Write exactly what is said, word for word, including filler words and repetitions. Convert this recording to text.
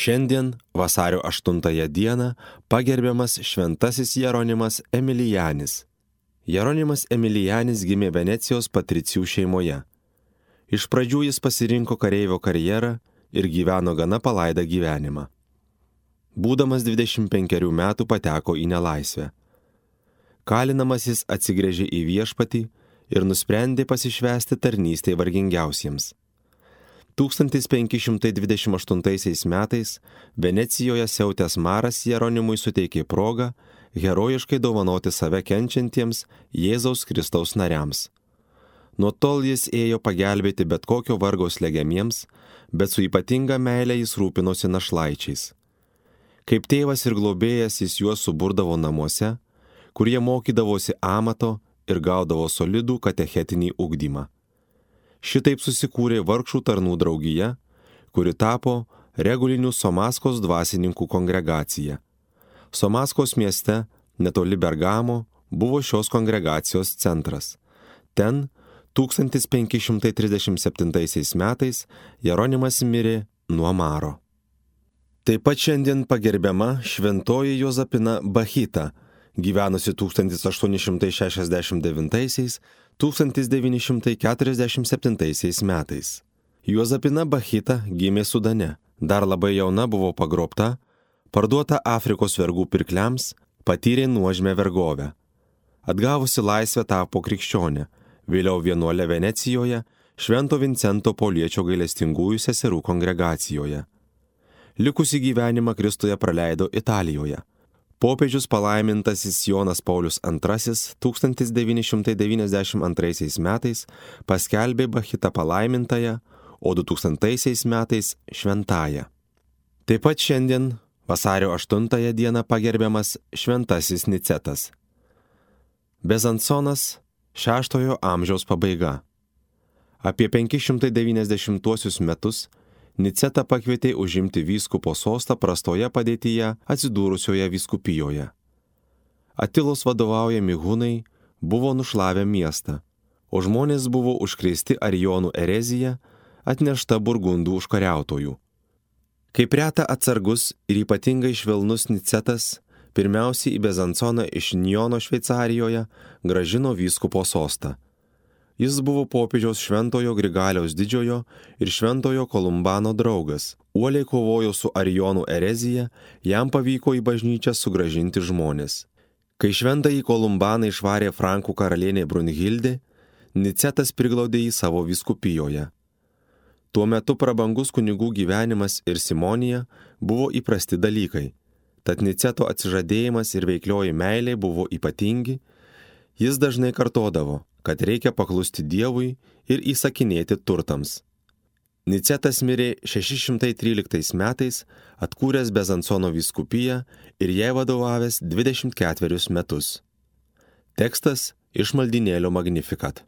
Šiandien, vasario aštuntąją dieną, pagerbiamas šventasis Jeronimas Emilijanis. Jeronimas Emilijanis gimė Venecijos patricijų šeimoje. Iš pradžių jis pasirinko kareivio karjerą ir gyveno gana palaidą gyvenimą. Būdamas dvidešimt penkerių metų pateko į nelaisvę. Kalinamas jis atsigręžė į viešpatį ir nusprendė pasišvęsti tarnystei vargingiausiems. tūkstantis penki šimtai dvidešimt aštuntaisiais metais Venecijoje siautęs maras Jeronimui suteikė progą herojiškai dovanoti save kenčiantiems Jėzaus Kristaus nariams. Nuo tol jis ėjo pagelbėti bet kokio vargo slegiamiems, bet su ypatinga meile jis rūpinosi našlaičiais. Kaip tėvas ir globėjas jis juos suburdavo namuose, kur jie mokydavosi amato ir gaudavo solidų katechetinį ugdymą. Šitaip susikūrė vargšų tarnų draugija, kuri tapo regulinių Somaskos dvasininkų kongregacija. Somaskos mieste, netoli Bergamo, buvo šios kongregacijos centras. Ten tūkstantis penki šimtai trisdešimt septintaisiais metais Jeronimas mirė nuo maro. Taip pat šiandien pagerbiama šventoji Jozapina Bachita, gyvenusi tūkstantis aštuoni šimtai šešiasdešimt devintaisiais - tūkstantis devyni šimtai keturiasdešimt septintaisiais metais. Jozapina Bachita gimė Sudane, dar labai jauna buvo pagrobta, parduota Afrikos vergų pirkliams, patyrė nuožmę vergovę. Atgavusi laisvę tapo krikščionė, vėliau vienuolė Venecijoje, Švento Vincento Pauliečio gailestingųjų seserų kongregacijoje. Likusį gyvenimą Kristuje praleido Italijoje. Popiežius palaimintasis Jonas Paulius antrasis tūkstantis devyni šimtai devyniasdešimt antraisiais metais paskelbė Bachitą palaimintąją, o du tūkstantaisiais metais šventąją. Taip pat šiandien, vasario aštuntąją dieną, pagerbiamas šventasis Nicetas. Bezansonas, šeštojo amžiaus pabaiga. Apie penki šimtai devyniasdešimtuosius metus Nicetą pakvietė užimti vyskupo sostą prastoje padėtyje atsidūrusioje vyskupijoje. Atilos vadovaujami hunai buvo nušlavę miestą, o žmonės buvo užkrėsti arijonų erezija, atnešta burgundų užkariautojų. Kaip reta atsargus ir ypatingai švelnus Nicetas, pirmiausiai į Bezansoną iš Njono Šveicarijoje grąžino vyskupo sostą. Jis buvo popiežiaus Šventojo Grigaliaus Didžiojo ir Šventojo Kolumbano draugas. Uoliai kovojo su arijonų erezija, jam pavyko į bažnyčią sugrąžinti žmonės. Kai Šventąjį Kolumbaną išvarė Frankų karalienė Brunhildė, Nicetas priglaudė jį savo vyskupijoje. Tuo metu prabangus kunigų gyvenimas ir simonija buvo įprasti dalykai, tad Niceto atsižadėjimas ir veiklioji meilė buvo ypatingi. Jis dažnai kartodavo, kad reikia paklusti Dievui ir įsakinėti turtams. Nicetas mirė šeši šimtai tryliktais metais, atkūręs Bezansono vyskupiją ir jai vadovavęs dvidešimt ketverius metus. Tekstas iš maldynėlio Magnificat.